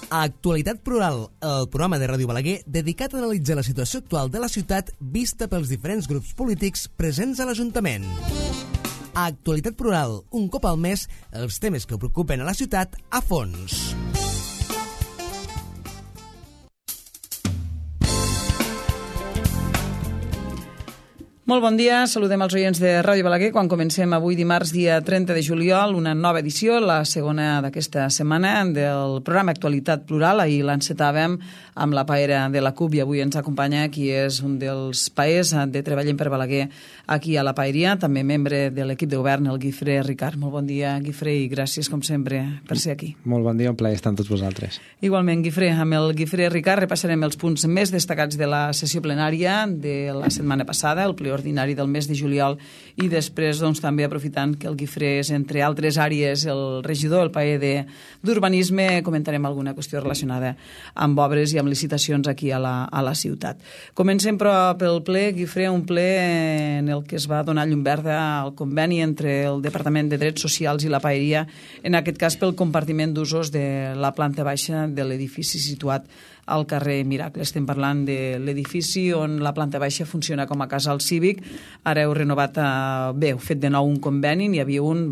Actualitat Plural, el programa de Ràdio Balaguer dedicat a analitzar la situació actual de la ciutat vista pels diferents grups polítics presents a l'Ajuntament. Actualitat Plural, un cop al mes, els temes que preocupen a la ciutat a fons. Molt bon dia, saludem els oients de Ràdio Balaguer quan comencem avui dimarts dia 30 de juliol una nova edició, la segona d'aquesta setmana del programa Actualitat Plural. Ahir l'encetàvem amb la paera de la CUP i avui ens acompanya qui és un dels paers de Treballem per Balaguer aquí a la paeria, també membre de l'equip de govern, el Guifré Ricard. Molt bon dia, Guifré, i gràcies com sempre per ser aquí. Molt bon dia, un plaer estar amb tots vosaltres. Igualment, Guifré, amb el Guifré Ricard repassarem els punts més destacats de la sessió plenària de la setmana passada, el ple ordinari del mes de juliol, i després doncs, també aprofitant que el Guifré és, entre altres àrees, el regidor, el paer d'Urbanisme, comentarem alguna qüestió relacionada amb obres i amb licitacions aquí a la ciutat. Comencem però pel ple, Guifré, un ple en el que es va donar llum verda al conveni entre el Departament de Drets Socials i la paeria, en aquest cas pel compartiment d'usos de la planta baixa de l'edifici situat al carrer Miracle. Estem parlant de l'edifici on la planta baixa funciona com a casal cívic. Ara heu renovat, bé, heu fet de nou un conveni, n'hi havia un,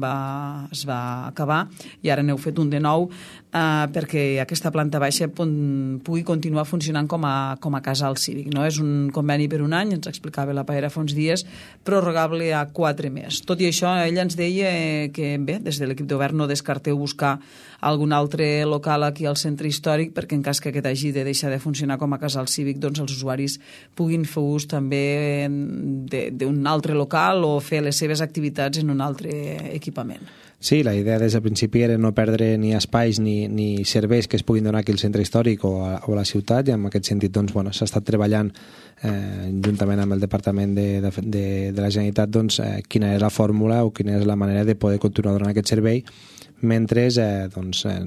es va acabar, i ara n'heu fet un de nou perquè aquesta planta baixa pugui continuar funcionant com a casal cívic. No? És un conveni per un any, ens explicava la paera fa uns dies, prorrogable a 4 més. Tot i això, ella ens deia que, bé, des de l'equip de govern no descarteu buscar algun altre local aquí al centre històric, perquè en cas que aquest hagi de deixar de funcionar com a casal cívic, doncs els usuaris puguin fer ús també d'un altre local o fer les seves activitats en un altre equipament. Sí, la idea des del principi era no perdre ni espais ni serveis que es puguin donar aquí al centre històric o a la ciutat, i en aquest sentit doncs, s'ha estat treballant juntament amb el Departament de la Generalitat quina és la fórmula o quina és la manera de poder continuar donant aquest servei mentre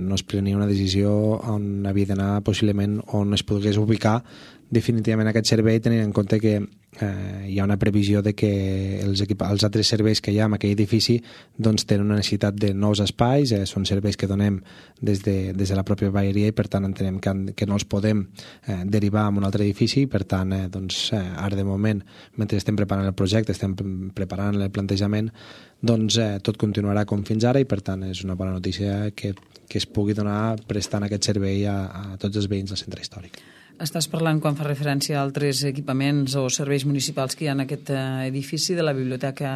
no es prenia una decisió on havia d'anar possiblement on es pogués ubicar definitivament aquest servei, tenint en compte que hi ha una previsió de que els altres serveis que hi ha en aquell edifici tenen una necessitat de nous espais, són serveis que donem des de la pròpia paeria i per tant entenem que no els podem derivar a un altre edifici, i per tant ara de moment, mentre estem preparant el projecte, estem preparant el plantejament, tot continuarà com fins ara, i per tant és una bona notícia que es pugui donar prestant aquest servei a tots els veïns del centre històric. Estàs parlant, quan fa referència a altres equipaments o serveis municipals que hi ha en aquest edifici de la Biblioteca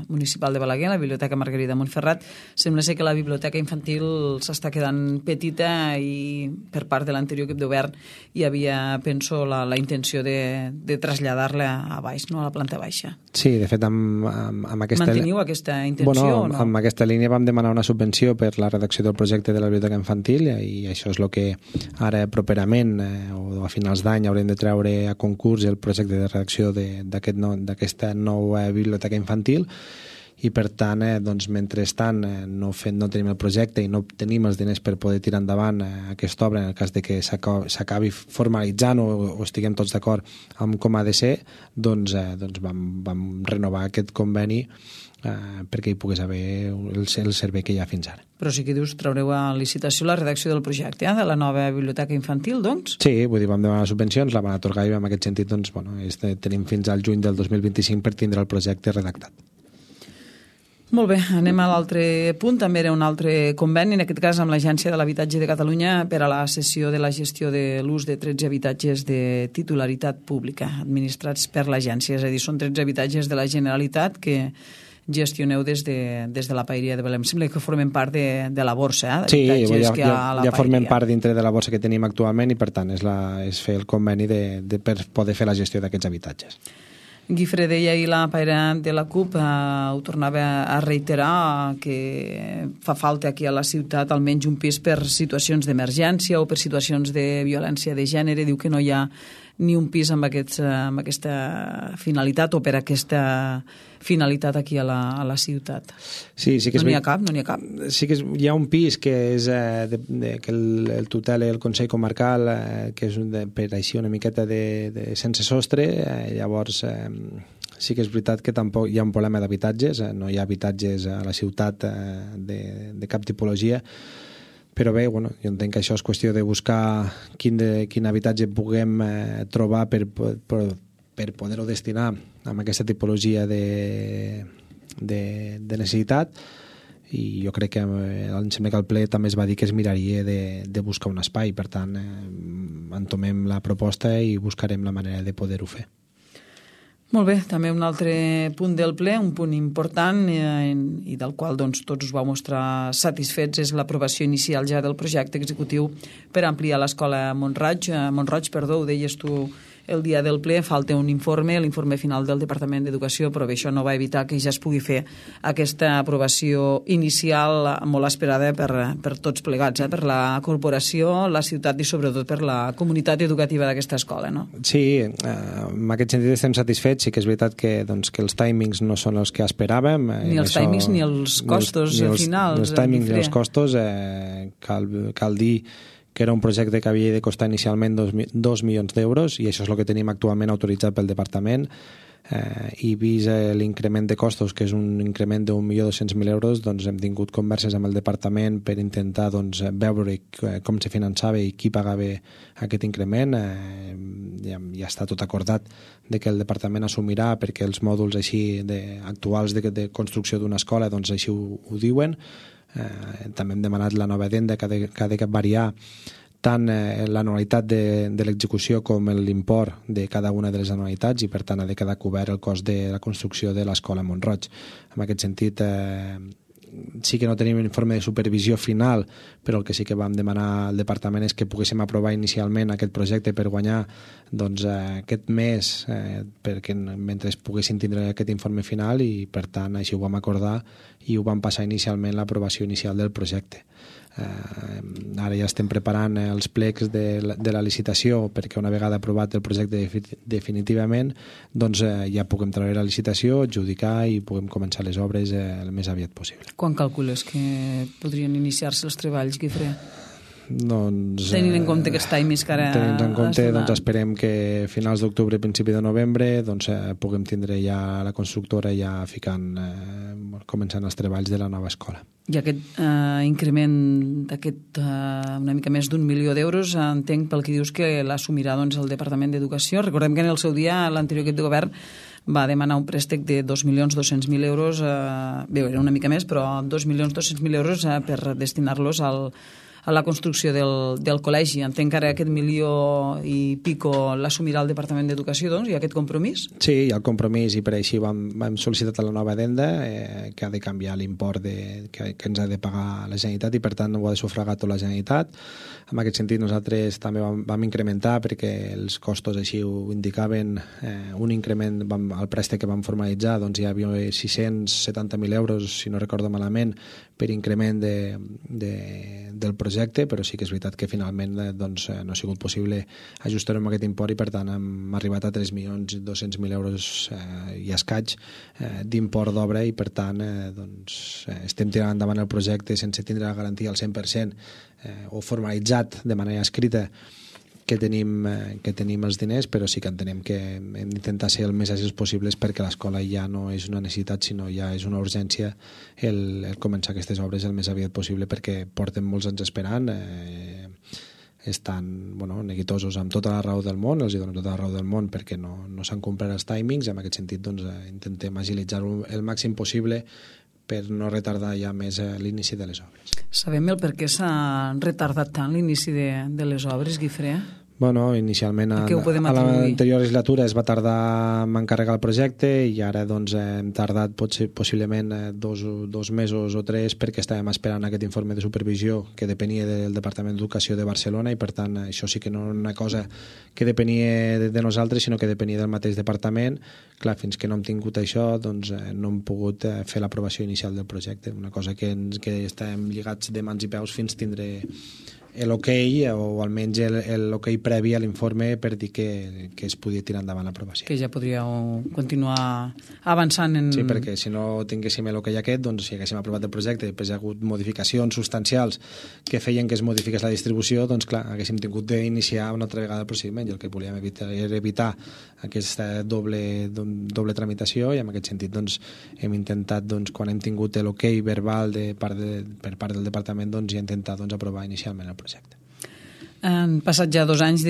Municipal de Balaguer, la Biblioteca Margarida Montferrat. Sembla ser que la biblioteca infantil s'està quedant petita i per part de l'anterior equip de govern hi havia, penso, la intenció de traslladar-la a baix, no? A la planta baixa. Sí, de fet, amb aquesta... Manteniu aquesta intenció o no? Amb aquesta línia vam demanar una subvenció per la redacció del projecte de la biblioteca infantil, i això és el que ara properament o a finals d'any haurem de treure a concurs el projecte de redacció d'aquesta nova biblioteca infantil, i per tant, mentrestant no tenim el projecte i no tenim els diners per poder tirar endavant aquesta obra, en el cas de que s'acabi formalitzant o estiguem tots d'acord amb com ha de ser, vam renovar aquest conveni perquè hi pogués haver el servei que hi ha fins ara. Però sí que dius, traureu a licitació la redacció del projecte de la nova biblioteca infantil, doncs? Sí, vull dir, vam demanar subvencions, la van atorgar, i en aquest sentit tenim fins al juny del 2025 per tindre el projecte redactat. Molt bé, anem a l'altre punt. També era un altre conveni, en aquest cas amb l'Agència de l'Habitatge de Catalunya, per a la cessió de la gestió de l'ús de 13 habitatges de titularitat pública administrats per l'agència. És a dir, són 13 habitatges de la Generalitat que gestioneu des de la paeria de Belém. Sembla que formen part de la borsa, sí, ja formen part dintre de la borsa que tenim actualment, i per tant és fer el conveni per poder fer la gestió d'aquests habitatges. Guifré deia ahir la paera de la CUP, ho tornava a reiterar, que fa falta aquí a la ciutat almenys un pis per situacions d'emergència o per situacions de violència de gènere. Diu que no hi ha ni un pis amb aquesta finalitat o per aquesta finalitat aquí a la ciutat. Sí, sí que no n'hi ha cap, no n'hi ha cap. Sí que hi ha un pis que és que el tutela el Consell Comarcal, que és per així una miqueta de sense sostre, llavors sí que és veritat que tampoc hi ha un problema d'habitatges, no hi ha habitatges a la ciutat de cap tipologia, Però bé, bueno, jo entenc que això és qüestió de buscar quin habitatge puguem trobar per poder-ho destinar a aquesta tipologia de necessitat, i jo crec que em sembla que el ple també es va dir que es miraria de buscar un espai. Per tant, entomem la proposta i buscarem la manera de poder-ho fer. Molt bé, també un altre punt del ple, un punt important i del qual doncs, tots us vau mostrar satisfets, és l'aprovació inicial ja del projecte executiu per ampliar l'escola Mont-roig. Ho deies tu el dia del ple, falta un informe, l'informe final del Departament d'Educació, però bé, això no va evitar que ja es pugui fer aquesta aprovació inicial molt esperada per tots plegats, per la corporació, la ciutat i sobretot per la comunitat educativa d'aquesta escola, no? Sí, en aquest sentit estem satisfets. Sí que és veritat que els timings no són els que esperàvem. Ni els timings ni els costos finals. Ni els timings ni els costos. Cal dir que era un projecte que havia de costar inicialment 2 milions d'euros, i això és el que tenim actualment autoritzat pel departament, i vist l'increment de costos, que és un increment d'1.200.000 euros, doncs hem tingut converses amb el departament per intentar veure com se finançava i qui pagava aquest increment. Ja està tot acordat de que el departament assumirà, perquè els mòduls així actuals de construcció d'una escola doncs així ho diuen. També hem demanat la nova addenda, que ha de variar tant l'anualitat de l'execució com l'import de cada una de les anualitats, i per tant ha de quedar cobert el cost de la construcció de l'escola Mont-roig. En aquest sentit, sí que no tenim un informe de supervisió final, però el que sí que vam demanar al departament és que poguéssim aprovar inicialment aquest projecte per guanyar aquest mes, perquè mentre poguessin tindre aquest informe final, i per tant així ho vam acordar i ho vam passar inicialment l'aprovació inicial del projecte. Ara ja estem preparant els plecs de la licitació, perquè una vegada aprovat el projecte definitivament, doncs ja puguem treure la licitació, adjudicar i puguem començar les obres el més aviat possible. Quan calcules que podrien iniciar-se els treballs, Guifré? Doncs, tenint en compte aquests timings que ara... Tenint en compte, doncs esperem que finals d'octubre, principi de novembre, doncs puguem tindre ja la constructora ja començant els treballs de la nova escola. I aquest increment d'aquest una mica més d'1 milió d'euros, entenc pel que dius que l'assumirà doncs, el Departament d'Educació. Recordem que en el seu dia l'anterior equip de govern va demanar un préstec de 2.200.000 euros, bé, era una mica més, però 2.200.000 euros per destinar-los a la construcció del col·legi. Entenc que ara aquest milió i pico l'assumirà el Departament d'Educació, doncs, hi ha aquest compromís? Sí, hi ha el compromís, i per així vam sol·licitar la nova addenda, que ha de canviar l'import que ens ha de pagar la Generalitat, i per tant ho ha de sufragar tota la Generalitat. En aquest sentit nosaltres també vam incrementar, perquè els costos així ho indicaven, un increment al préstec que vam formalitzar, doncs hi havia 670.000 euros, si no recordo malament, per increment del projecte, però sí que és veritat que finalment doncs, no ha sigut possible ajustar-ho amb aquest import, i per tant hem arribat a 3.200.000 euros i escaig d'import d'obra, i per tant doncs, estem tirant endavant el projecte sense tindre la garantia al 100% o formalitzat de manera escrita que tenim els diners, però sí que entenem que hem d'intentar ser el més àgils possibles, perquè l'escola ja no és una necessitat, sinó ja és una urgència el començar aquestes obres el més aviat possible, perquè porten molts anys esperant, estan neguitosos amb tota la raó del món, els donem tota la raó del món perquè no s'han complert els timings. En aquest sentit doncs, intentem agilitzar-ho el màxim possible per no retardar ja més l'inici de les obres. Sabem el per què s'ha retardat tant l'inici de les obres, Guifré? Bueno, inicialment a l'anterior legislatura es va tardar en encarregar el projecte, i ara doncs, hem tardat possiblement 2 mesos o 3 perquè estàvem esperant aquest informe de supervisió que depenia del Departament d'Educació de Barcelona, i per tant això sí que no era una cosa que depenia de nosaltres, sinó que depenia del mateix departament. Clar, fins que no hem tingut això doncs no hem pogut fer l'aprovació inicial del projecte, una cosa que estem lligats de mans i peus fins tindre l'ok o almenys l'ok previ a l'informe per dir que es podia tirar endavant l'aprovació. Que ja podríeu continuar avançant en... Sí, perquè si no tinguéssim l'ok aquest, doncs si haguéssim aprovat el projecte i després hi ha hagut modificacions substancials que feien que es modifiqués la distribució, doncs clar, haguéssim tingut d'iniciar una altra vegada el procediment, i el que volíem era evitar aquesta doble tramitació, i en aquest sentit doncs, hem intentat, doncs, quan hem tingut l'ok verbal per part del departament, doncs, ja intentar aprovar inicialment el projecte. Han passat ja 2 anys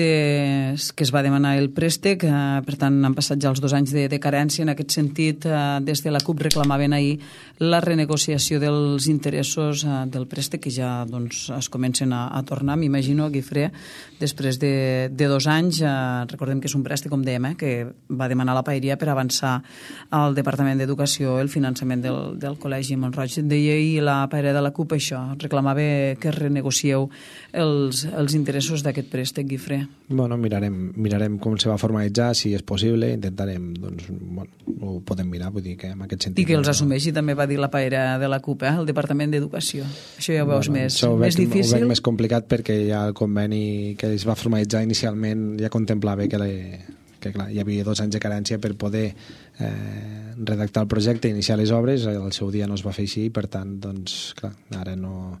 que es va demanar el préstec, per tant han passat ja els 2 anys de carència. En aquest sentit, des de la CUP reclamaven ahir la renegociació dels interessos del préstec, que ja doncs, es comencen a tornar, m'imagino, Guifré, després de 2 anys. Recordem que és un préstec, com dèiem, que va demanar la Paeria per avançar al Departament d'Educació el finançament del Col·legi Mont-roig. Deia ahir la Paeria de la CUP això, reclamava que renegocieu els interessos d'aquest préstec, Guifré. Bueno, mirarem com se va formalitzar, si és possible, intentarem, doncs, bueno, ho podem mirar, vull dir que en aquest sentit... I que els assumeixi, també va dir la Paeria de la CUP, el Departament d'Educació. Això ja ho veus més difícil? Ho veig més complicat perquè ja el conveni que es va formalitzar inicialment ja contemplava que clar, hi havia 2 anys de carència per poder redactar el projecte i iniciar les obres. El seu dia no es va fer així, per tant, doncs, clar, ara no...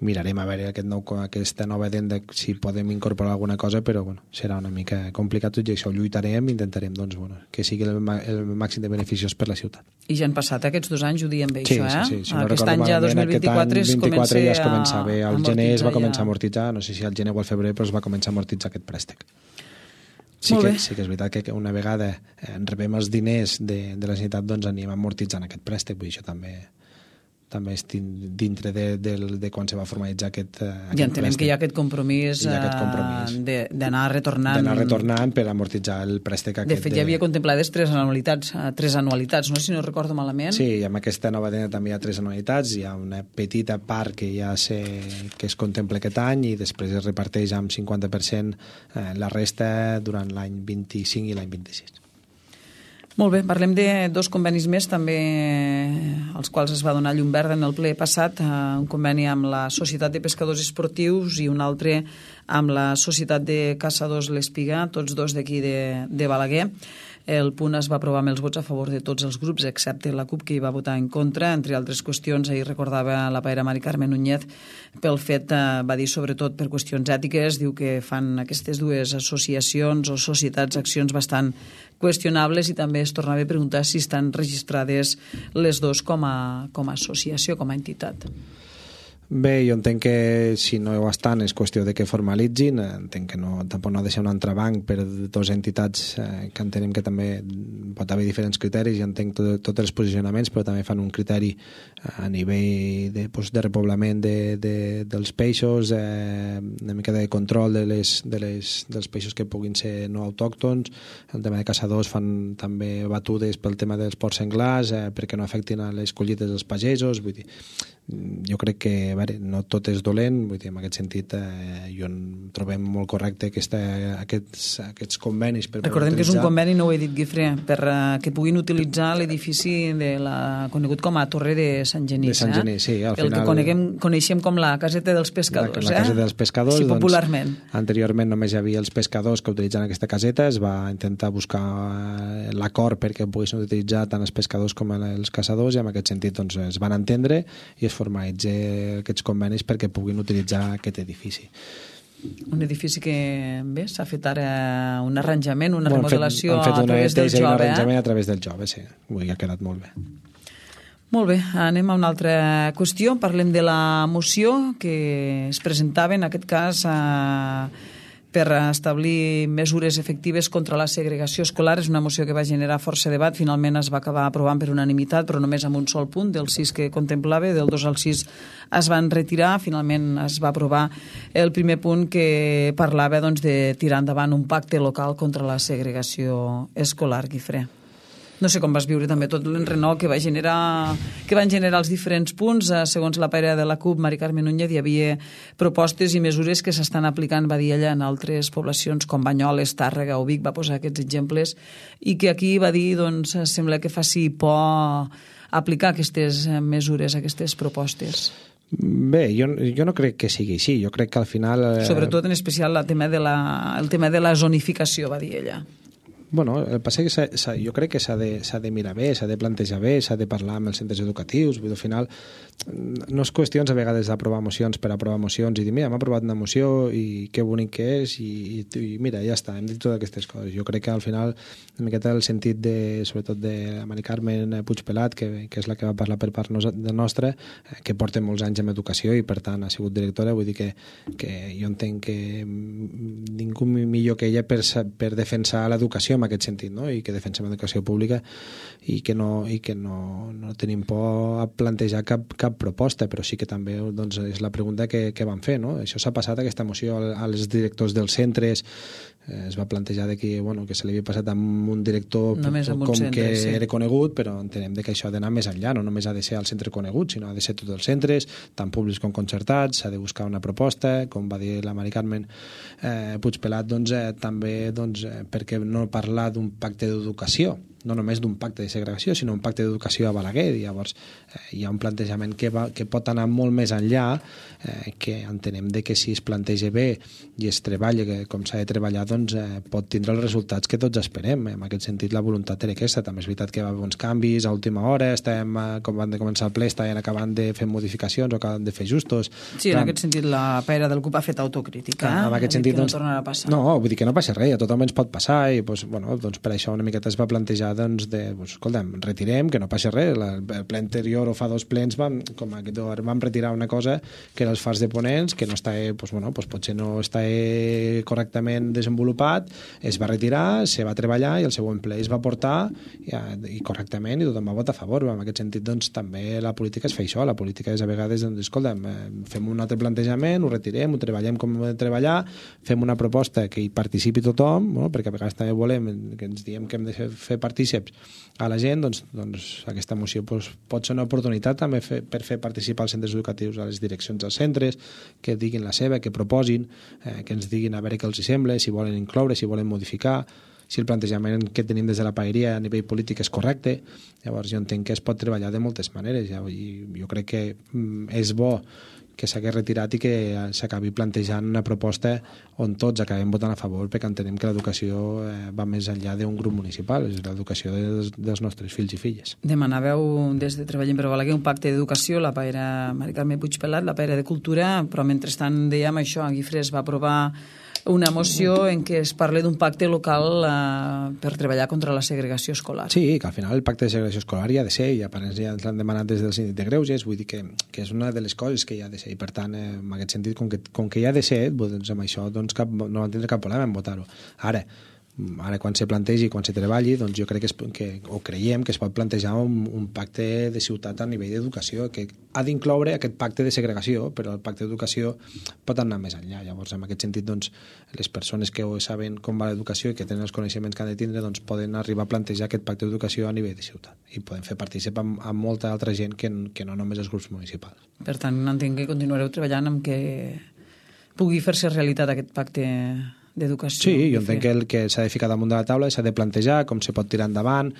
Mirarem a veure aquesta nova addenda si podem incorporar alguna cosa, però bueno, serà una mica complicat tot i això. Ho lluitarem, intentarem doncs, bueno, que sigui el màxim de beneficiós per la ciutat. I ja han passat aquests 2 anys, ho diem bé, sí, això, Sí, sí. Si aquest any ja 2024 es comença ja es començava. Al gener es va començar a amortitzar, no sé si al gener o al febrer, però es va començar a amortitzar aquest préstec. Sí que és veritat que una vegada rebem els diners de la Generalitat, doncs anem amortitzant aquest préstec, vull dir, això també és dintre de quan se va formalitzar aquest ja entenem préstec. Que hi ha aquest compromís, d'anar retornant... D'anar retornant per amortitzar el préstec aquest. De fet, ja havia contemplades 3 anualitats, no? Si no recordo malament. Sí, i amb aquesta nova addenda també hi ha 3 anualitats, hi ha una petita part que ja que es contempla aquest any i després es reparteix amb 50% la resta durant l'any 25 i l'any 26. Molt bé, parlem de 2 convenis més, també als quals es va donar llum verda en el ple passat, un conveni amb la Societat de Pescadors Esportius i un altre amb la Societat de Caçadors L'Espiga, tots 2 d'aquí de Balaguer. El punt es va aprovar amb els vots a favor de tots els grups, excepte la CUP, que hi va votar en contra. Entre altres qüestions, ahir recordava la paera Mari Carmen Núñez pel fet, va dir sobretot per qüestions ètiques, diu que fan aquestes 2 associacions o societats accions bastant qüestionables i també es tornava a preguntar si estan registrades les 2 com a associació, com a entitat. Bé, jo entenc que si no ho estan és qüestió de que formalitzin, entenc que tampoc no ha de ser un entrebanc per 2 entitats que entenem que també pot haver diferents criteris, i entenc tots els posicionaments, però també fan un criteri a nivell de repoblament dels peixos, una mica de control dels peixos que puguin ser no autòctons. El tema de caçadors fan també batudes pel tema dels porcs senglars perquè no afectin a les collites dels pagesos. Vull dir, jo crec que no tot és dolent, vull dir, en aquest sentit jo trobem molt correcte aquests convenis per recordem utilitzar... que és un conveni, no ho he dit, Guifré, per que puguin utilitzar l'edifici conegut com a Torre de Sant Genís, de Sant Genís, sí, al final... el que coneixem com la caseta dels pescadors, la caseta dels pescadors, sí, popularment. Doncs, anteriorment només hi havia els pescadors que utilitzen aquesta caseta, es va intentar buscar l'acord perquè poguessin utilitzar tant els pescadors com els caçadors, i en aquest sentit doncs, es van entendre i es formalitzen aquests convenis perquè puguin utilitzar aquest edifici. Un edifici que, bé, s'ha fet ara un arranjament, una remodelació a través del Jove. Un arranjament a través del Jove, sí. Vull dir, ha quedat molt bé. Molt bé, anem a una altra qüestió. Parlem de la moció que es presentava, en aquest cas, per establir mesures efectives contra la segregació escolar. És una moció que va generar força debat. Finalment es va acabar aprovant per unanimitat, però només amb un sol punt, del 6 que contemplava, del 2 al 6 es van retirar. Finalment es va aprovar el primer punt que parlava doncs, de tirar endavant un pacte local contra la segregació escolar, Guifré. No sé com vas viure també tot l'enrenou que van generar els diferents punts. Segons la paera de la CUP, Mari Carmen Núñez, hi havia propostes i mesures que s'estan aplicant, va dir ella, en altres poblacions com Banyoles, Tàrrega o Vic, va posar aquests exemples, i que aquí va dir, doncs, sembla que faci por aplicar aquestes mesures, aquestes propostes. Bé, jo no crec que sigui així. Jo crec que al final... Sobretot en especial el tema de la zonificació, va dir ella. Bueno, el que passa és que jo crec que s'ha de mirar bé, s'ha de plantejar bé, s'ha de parlar amb els centres educatius. Vull dir, al final, no és qüestions a vegades d'aprovar mocions per aprovar mocions i dir, mira, hem aprovat una moció i que bonic que és i mira, ja està, hem dit totes aquestes coses. Jo crec que al final, una miqueta el sentit sobretot de la Mari Carmen Puigpelat, que és la que va parlar per part nostra, que porta molts anys en educació i per tant ha sigut directora, vull dir que jo entenc que ningú millor que ella per defensar l'educació en aquest sentit, no? I que defensem l'educació pública i que no tenim por a plantejar cap proposta, però sí que també doncs, és la pregunta que vam fer, no? Això s'ha passat, aquesta moció, als directors dels centres, es va plantejar que se li havia passat amb un director que era conegut, però entenem que això ha d'anar més enllà, no només ha de ser al centre conegut, sinó ha de ser tots els centres, tant públics com concertats, s'ha de buscar una proposta, com va dir la Mari Carmen Puigpelat, també perquè no parlar d'un pacte d'educació, no només d'un pacte de segregació, sinó un pacte d'educació a Balaguer. Llavors hi ha un plantejament que pot anar molt més enllà, que entenem que si es planteja bé i es treballa com s'ha de treballar, doncs pot tindre els resultats que tots esperem. En aquest sentit, la voluntat era aquesta. També és veritat que va haver uns canvis a última hora, com van de començar el ple, estaven acabant de fer modificacions o acabant de fer ajustos. Sí, en aquest sentit, la pera del CUP ha fet autocrítica. En aquest sentit, no tornarà a passar. No, vull dir que no passa res, a tothom ens pot passar i per això una miqueta es va plantejar escolta'm, retirem, que no passa res. El ple anterior o fa 2 plens vam retirar una cosa que era els fars de ponents, que no està, potser no està correctament desenvolupat, es va retirar, se va treballar i el següent ple es va portar i correctament i tothom va votar a favor. En aquest sentit, doncs, també la política és fer això. La política és a vegades, escolta'm, fem un altre plantejament, ho retirem, ho treballem com hem de treballar, fem una proposta que hi participi tothom, perquè a vegades també volem que ens diem que hem de fer partícips a la gent, doncs aquesta moció pot ser una oportunitat també per fer participar els centres educatius, a les direccions dels centres, que diguin la seva, que proposin, que ens diguin a veure què els sembla, si volen incloure, si volen modificar, si el plantejament que tenim des de la paeria a nivell polític és correcte. Llavors jo entenc que es pot treballar de moltes maneres i jo crec que és bo que s'hagués retirat i que s'acabi plantejant una proposta on tots acabem votant a favor, perquè entenem que l'educació va més enllà d'un grup municipal, és l'educació dels nostres fills i filles. Demanàveu des de Treballem per Balaguer un pacte d'educació, la paera Mari Carmen Puigpelat, la paera de Cultura, però mentrestant dèiem això, a Guifré es va aprovar una moció en què es parla d'un pacte local per treballar contra la segregació escolar. Sí, que al final el pacte de segregació escolar hi ha de ser, i a part ja ens l'han demanat des del síndic de Greuges, vull dir que és una de les coses que hi ha de ser, i per tant, en aquest sentit, com que hi ha de ser, doncs amb això no van tindre cap problema en votar-ho. Ara, quan se plantegi, quan se treballi, doncs jo crec o creiem que es pot plantejar un pacte de ciutat a nivell d'educació, que ha d'incloure aquest pacte de segregació, però el pacte d'educació pot anar més enllà. Llavors, en aquest sentit, doncs, les persones que saben com va l'educació i que tenen els coneixements que han de tindre, doncs poden arribar a plantejar aquest pacte d'educació a nivell de ciutat. I poden fer participar amb molta altra gent que no només els grups municipals. Per tant, entenc que continuareu treballant amb que pugui fer-se realitat aquest pacte d'educació. Sí, jo entenc que s'ha de ficar damunt de la taula, s'ha de plantejar com se pot tirar endavant,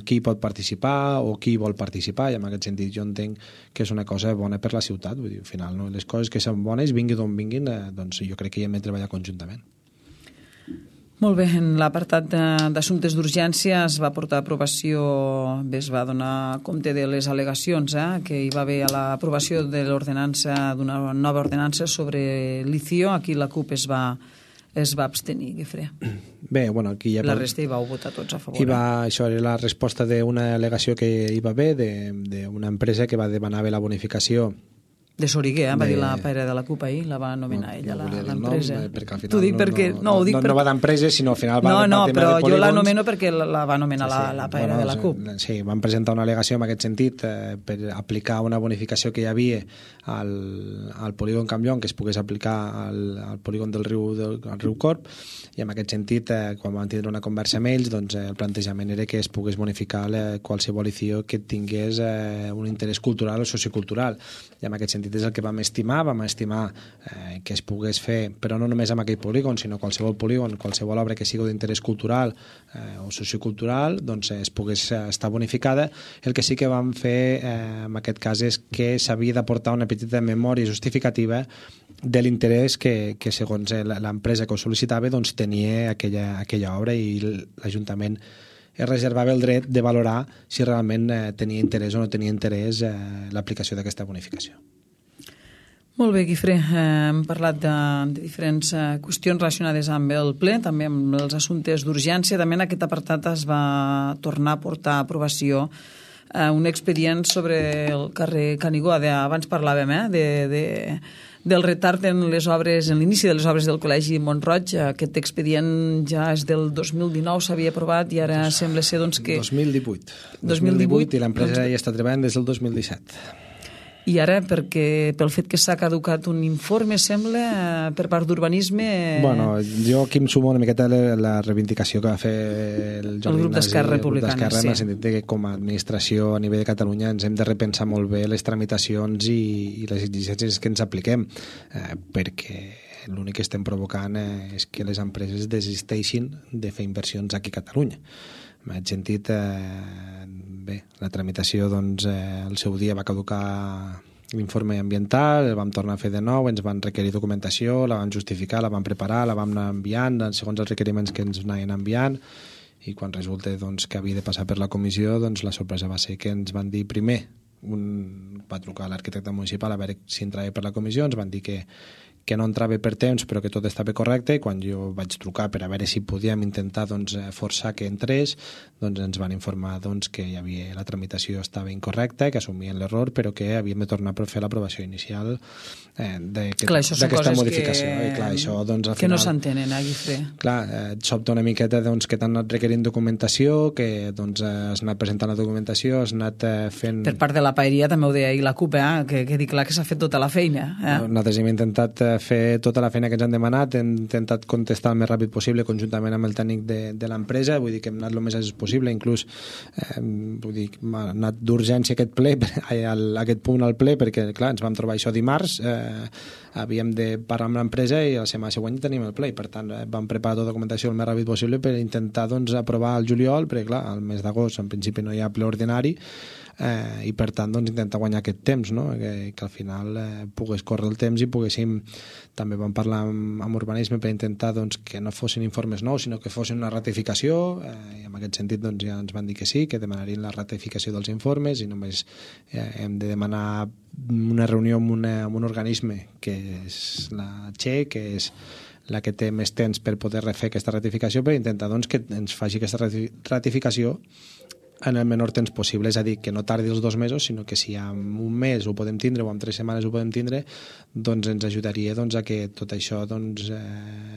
qui pot participar o qui vol participar, i en aquest sentit jo entenc que és una cosa bona per la ciutat. Vull dir, al final, no? Les coses que són bones, vinguin d'on vinguin, doncs jo crec que hi hem de treballar conjuntament. Molt bé, en l'apartat d'assumptes d'urgència es va portar a aprovació, es va donar compte de les al·legacions que hi va haver a l'aprovació de l'ordenança, d'una nova ordenança sobre l'ICIO. Aquí la CUP es va abstenir, Guifré. Bé, aquí ja... La resta hi vau votar tots a favor. Això era la resposta d'una al·legació que hi va haver d'una empresa que va demanar la bonificació de Soriguer, va dir la paera de la CUP ahir, la va anomenar ella, l'empresa. T'ho dic perquè... No va d'empresa, sinó al final va... No, però jo l'anomeno perquè la va anomenar la paera de la CUP. Sí, van presentar una al·legació en aquest sentit per aplicar una bonificació que hi havia al polígon Campllong, que es pogués aplicar al polígon del riu Corb, i en aquest sentit, quan van tindre una conversa amb ells, doncs el plantejament era que es pogués bonificar qualsevol ICIO que tingués un interès cultural o sociocultural, i en aquest sentit sentit és el que vam estimar que es pogués fer, però no només amb aquell polígon, sinó qualsevol polígon, qualsevol obra que sigui d'interès cultural o sociocultural, doncs es pogués estar bonificada. El que sí que vam fer en aquest cas és que s'havia d'aportar una petita memòria justificativa de l'interès que segons l'empresa que ho sol·licitava doncs tenia aquella obra, i l'Ajuntament es reservava el dret de valorar si realment tenia interès o no tenia interès l'aplicació d'aquesta bonificació. Molt bé, Guifré. Hem parlat de diferents qüestions relacionades amb el ple, també amb els assumptes d'urgència. També en aquest apartat es va tornar a portar a aprovació un expedient sobre el carrer Canigó. Abans parlàvem del retard en les obres, en l'inici de les obres del Col·legi Mont-roig. Aquest expedient ja és del 2019, s'havia aprovat, i ara sembla ser doncs, que... 2018 i l'empresa ja està treballant des del 2017. I ara, pel fet que s'ha caducat un informe, sembla, per part d'Urbanisme... Bueno, jo aquí em sumo una miqueta la reivindicació que va fer el grup d'Esquerra Republicana, en el sentit que com a administració a nivell de Catalunya ens hem de repensar molt bé les tramitacions i les exigències que ens apliquem, perquè l'únic que estem provocant és que les empreses desisteixin de fer inversions aquí a Catalunya. En aquest sentit, bé, la tramitació doncs, al seu dia va caducar l'informe ambiental, el vam tornar a fer de nou, ens van requerir documentació, la vam justificar, la vam preparar, la vam anar enviant segons els requeriments que ens anaven enviant, i quan resulta doncs, que havia de passar per la comissió, doncs la sorpresa va ser que ens van dir primer, va trucar l'arquitecte municipal a veure si entrava per la comissió, ens van dir que no entrava per temps però que tot estava correcte, i quan jo vaig trucar per a veure si podíem intentar doncs, forçar que entrés, doncs ens van informar doncs, que la tramitació estava incorrecta, que assumien l'error, però que havíem de tornar per fer l'aprovació inicial d'aquesta modificació. Clar, això, doncs, al que final, no s'entenen, Guifré. Clar, et sobta una miqueta doncs, que t'han anat requerint documentació, que doncs, has anat presentant la documentació, has anat fent... Per part de la paeria també ho deia i la CUP, que quedi clar que s'ha fet tota la feina. Nosaltres hem intentat fer tota la feina que ens han demanat, hem intentat contestar el més ràpid possible conjuntament amb el tècnic de l'empresa, vull dir que hem anat el més àgil possible, inclús hem anat d'urgència aquest punt al ple, perquè clar, ens vam trobar això dimarts, havíem de parar amb l'empresa i la setmana següent tenim el ple, i per tant vam preparar tota la documentació el més ràpid possible per intentar doncs, aprovar el juliol, perquè clar, al mes d'agost en principi no hi ha ple ordinari, i per tant doncs, intentar guanyar aquest temps, no? que al final pogués córrer el temps i poguéssim, també vam parlar amb Urbanisme per intentar doncs, que no fossin informes nous sinó que fossin una ratificació, i en aquest sentit doncs, ja ens van dir que sí, que demanarien la ratificació dels informes, i només hem de demanar una reunió amb un organisme que és la Che, que és la que té més temps per poder refer aquesta ratificació, per intentar doncs, que ens faci aquesta ratificació en el menor temps possible, és a dir, que no tardi els 2 mesos, sinó que si en un mes ho podem tindre o en 3 setmanes ho podem tindre, doncs ens ajudaria doncs, a que tot això, doncs,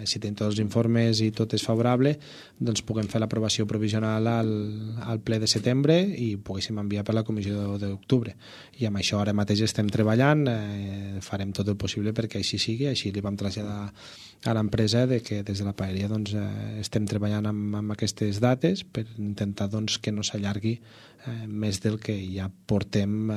si tenim tots els informes i tot és favorable, doncs puguem fer l'aprovació provisional al ple de setembre i poguéssim enviar per la comissió d'octubre. I amb això ara mateix estem treballant, farem tot el possible perquè així sigui, així li vam traslladar a l'empresa que des de la paeria doncs, estem treballant amb aquestes dates per intentar doncs, que no s'allargui més del que ja portem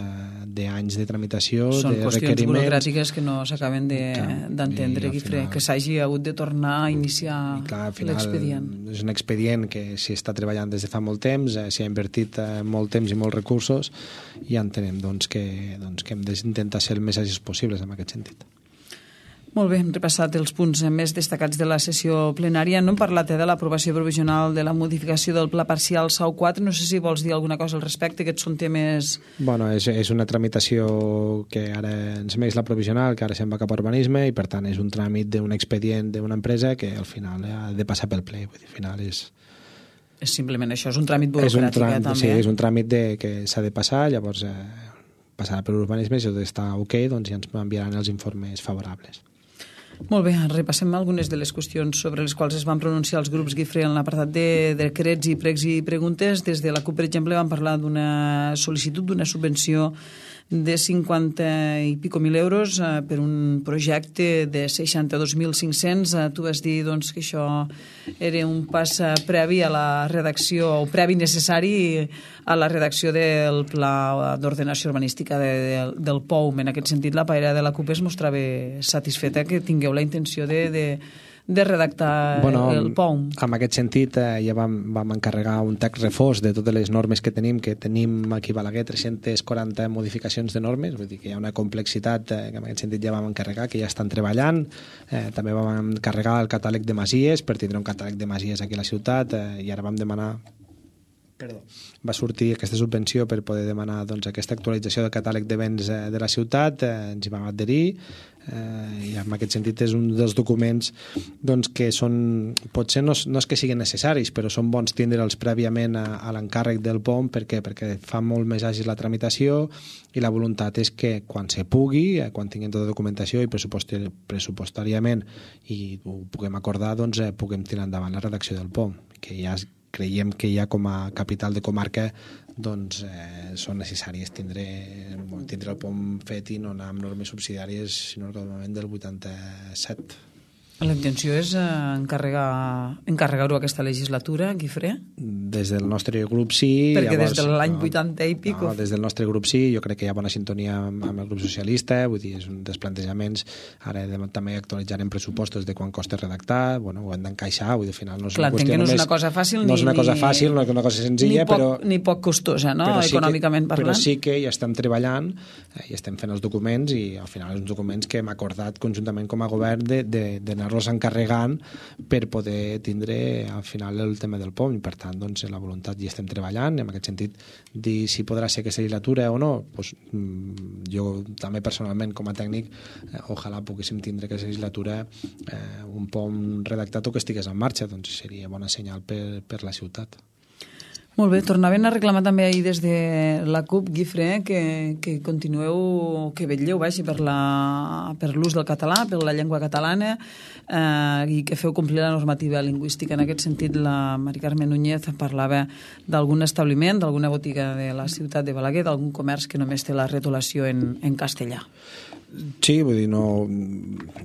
d'anys de tramitació, de requeriments. Són qüestions burocràtiques que no s'acaben d'entendre, Guifré, que s'hagi hagut de tornar a iniciar l'expedient. És un expedient que s'hi està treballant des de fa molt temps, s'hi ha invertit molt temps i molts recursos, i entenem doncs, que hem d'intentar ser el més àgils possibles en aquest sentit. Molt bé, hem repassat els punts més destacats de la sessió plenària. No hem parlat de l'aprovació provisional de la modificació del Pla Parcial SAU 4. No sé si vols dir alguna cosa al respecte. Aquests són temes... Bueno, és una tramitació que ara ens més la provisional, que ara se'n va cap a Urbanisme, i per tant és un tràmit d'un expedient d'una empresa que al final ha de passar pel ple. Vull dir, al final és simplement això, és un tràmit burocràtic, també. Sí, és un tràmit que s'ha de passar, llavors passarà per Urbanisme, si tot està ok, doncs ja ens enviaran els informes favorables. Molt bé, repassem algunes de les qüestions sobre les quals es van pronunciar els grups, Guifré, en l'apartat de decrets i pregs i preguntes. Des de la CUP, per exemple, van parlar d'una sol·licitud d'una subvenció de 50 i pico mil euros per un projecte de 62.500. Tu vas dir doncs, que això era un pas previ a la redacció, o previ necessari a la redacció del Pla d'Ordenació Urbanística del POUM. En aquest sentit, la paella de la CUP es mostrava satisfeta que tingueu la intenció de redactar el POUM. En aquest sentit, ja vam encarregar un text refós de totes les normes que tenim aquí a Balaguer, 340 modificacions de normes, vull dir que hi ha una complexitat que en aquest sentit ja vam encarregar, que ja estan treballant. També vam encarregar el catàleg de masies, per tindre un catàleg de masies aquí a la ciutat, i ara vam demanar va sortir aquesta subvenció per poder demanar doncs, aquesta actualització del catàleg de béns de la ciutat, ens hi vam adherir, i en aquest sentit és un dels documents doncs, que són, potser no és que siguin necessaris, però són bons tindre'ls prèviament a l'encàrrec del POM perquè fa molt més àgil la tramitació, i la voluntat és que quan se pugui, quan tinguem tota la documentació i pressupostàriament i ho puguem acordar, doncs puguem tirar endavant la redacció del POM, que ja creiem que ja com a capital de comarca doncs són necessàries tindre el POM fet i no anar amb normes subsidiàries, sinó que al moment del 87. La intenció és encarregar-ho aquesta legislatura, Guifré? Des del nostre grup sí. Perquè llavors, des de l'any 80 i pico. Des del nostre grup sí, jo crec que hi ha bona sintonia amb el grup socialista, vull dir, és un dels plantejaments. Ara també actualitzarem pressupostos de quan costa redactar, ho hem d'encaixar, vull dir, al final no és una qüestió només... no és una cosa fàcil, no és una cosa fàcil, no és una cosa senzilla, ni poc costosa, no?, econòmicament parlant. Però sí que ja estem treballant, i estem fent els documents, i al final els documents que hem acordat conjuntament com a govern d'anar-los encarregant per poder tindre al final el tema del POM, i per tant doncs, la voluntat ja estem treballant, en aquest sentit dir si podrà ser aquesta legislatura o no, doncs, jo també personalment com a tècnic ojalà poguéssim tindre aquesta legislatura un POM redactat o que estigués en marxa, doncs seria bona senyal per la ciutat. Molt bé, tornaven a reclamar també ahir des de la CUP, Guifré, que continueu, que vetlleu per l'ús del català, per la llengua catalana, i que feu complir la normativa lingüística. En aquest sentit, la Mari Carmen Núñez parlava d'algun establiment, d'alguna botiga de la ciutat de Balaguer, d'algun comerç que només té la retolació en castellà. Sí, vull dir,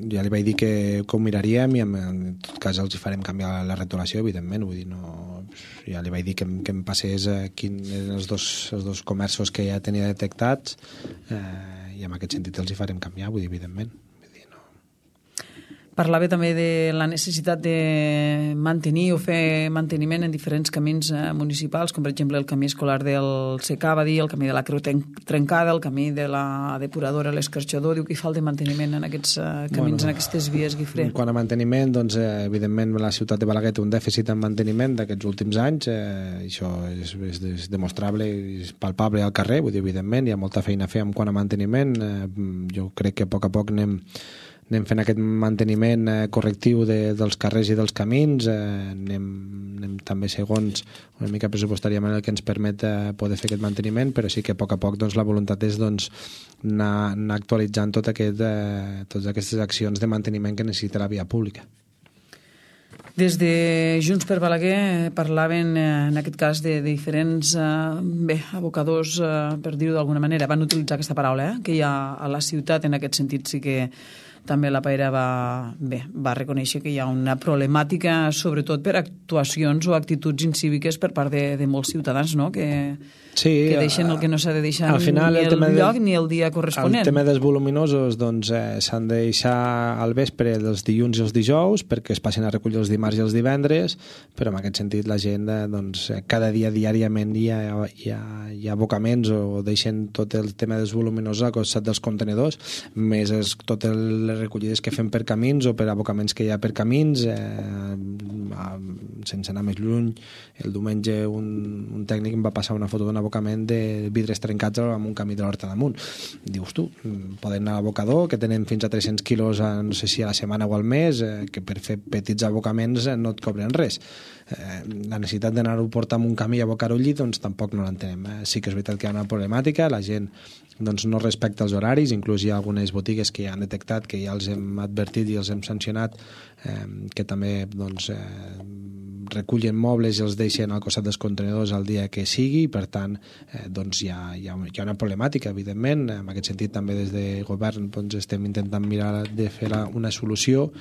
ja li vaig dir que ho miraríem i en tot cas els farem canviar la retolació, evidentment, vull dir, ja li vaig dir que em passés quins eren els dos comerços que ja tenia detectats, i en aquest sentit els farem canviar, vull dir, evidentment. Parlava també de la necessitat de mantenir o fer manteniment en diferents camins municipals, com per exemple el camí escolar del Secà, va dir, el camí de la Creu Trencada, el camí de la depuradora, l'Escarxador. Diu que hi falta manteniment en aquests camins, en aquestes vies, Guifré. Quant a manteniment, doncs, evidentment la ciutat de Balaguer té un dèficit en manteniment d'aquests últims anys, això és demostrable i és palpable al carrer, vull dir, evidentment, hi ha molta feina a fer en quant a manteniment. Jo crec que a poc anem fent aquest manteniment correctiu dels carrers i dels camins, anem també segons una mica pressupostàriament el que ens permet poder fer aquest manteniment, però sí que a poc doncs, la voluntat és doncs, anar actualitzant totes aquestes accions de manteniment que necessita la via pública. Des de Junts per Balaguer parlaven, en aquest cas, de diferents abocadors, per dir-ho d'alguna manera. Van utilitzar aquesta paraula, que hi ha a la ciutat. En aquest sentit sí que també la Paera va reconèixer que hi ha una problemàtica, sobretot per actuacions o actituds incíviques per part de molts ciutadans, no?, que deixen el que no s'ha de deixar ni el lloc ni el dia corresponent. El tema dels voluminosos doncs, s'han de deixar al vespre dels dilluns i els dijous perquè es passin a recollir els dimarts i els divendres, però en aquest sentit la gent doncs, cada dia diàriament hi ha abocaments o deixen tot el tema dels voluminosos al costat dels contenedors, més totes les recollides que fem per camins o per abocaments que hi ha per camins, sense anar més lluny. El diumenge un tècnic em va passar una foto d'un abocament de vidres trencats amb un camí de l'Horta damunt. Dius tu, poden anar a l'abocador, que tenen fins a 300 quilos, no sé si a la setmana o al mes, que per fer petits abocaments no et cobren res. La necessitat d'anar-ho a portar amb un camí i abocar-ho allí, doncs tampoc no l'entenem. Sí que és veritat que hi ha una problemàtica, la gent doncs no respecta els horaris, inclús hi ha algunes botigues que ja han detectat, que ja els hem advertit i els hem sancionat, que també doncs, recullen mobles i els deixen al costat dels contenidors el dia que sigui, i per tant doncs hi ha una problemàtica, evidentment. En aquest sentit també des de govern doncs, estem intentant mirar de fer una solució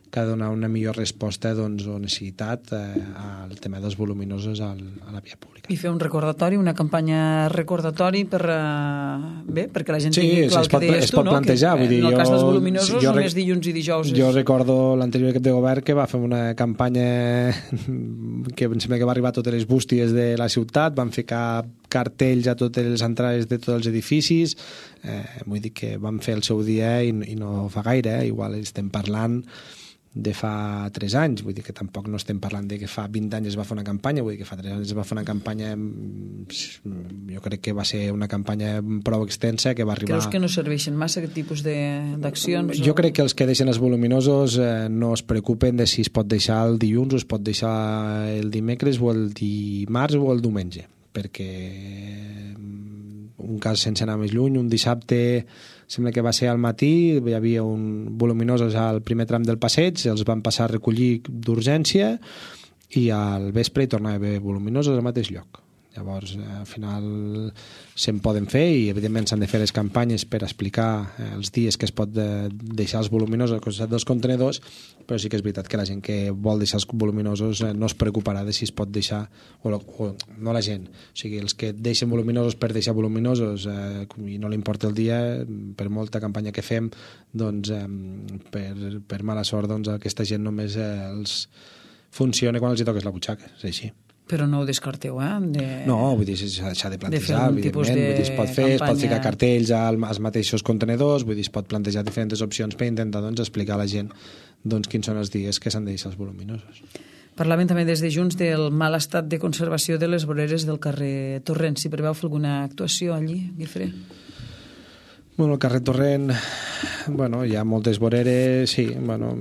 que ha de donar una millor resposta doncs, o necessitat al tema dels voluminosos a la via pública. I fer un recordatori, una campanya recordatori perquè la gent tingui clar el que deies tu, no? Plantejar, que, en el cas dels voluminosos només dilluns i dijous. Jo recordo l'anterior equip de govern que va fer una campanya que em sembla que va arribar a totes les bústies de la ciutat, van ficar cartells a totes les entrades de tots els edificis, vull dir que van fer el seu dia i no fa gaire, igual estem parlant de fa 3 anys, vull dir que tampoc no estem parlant de que fa 20 anys es va fer una campanya, vull dir que fa 3 anys es va fer una campanya, jo crec que va ser una campanya prou extensa que va arribar... Creus que no serveixen massa aquest tipus d'accions? Jo crec que els que deixen els voluminosos no es preocupen de si es pot deixar el dilluns o es pot deixar el dimecres o el dimarts o el diumenge, perquè un cas sense anar més lluny, un dissabte sembla que va ser al matí, hi havia un voluminosos al primer tram del passeig, els van passar a recollir d'urgència i al vespre hi tornava a haver voluminosos al mateix lloc. Llavors, al final se'n poden fer i evidentment s'han de fer les campanyes per explicar els dies que es pot deixar els voluminosos al costat dels contenidors, però sí que és veritat que la gent que vol deixar els voluminosos no es preocuparà de si es pot deixar, o no la gent, o sigui, els que deixen voluminosos per deixar voluminosos i no li importa el dia, per molta campanya que fem, doncs per mala sort doncs aquesta gent només els funciona quan els hi toques la butxaca, és així. Però no ho descarteu, No, vull dir, s'ha de plantejar, evidentment. Vull dir, es pot fer, es pot ficar cartells als mateixos contenedors, vull dir, es pot plantejar diferents opcions per intentar doncs, explicar a la gent doncs, quins són els dies que s'han de deixar els voluminosos. Parlaven també des de Junts del mal estat de conservació de les voreres del carrer Torrent. Si preveu fer alguna actuació allí, Guifré? Bueno, el carrer Torrent, bueno, hi ha moltes voreres, sí, bueno,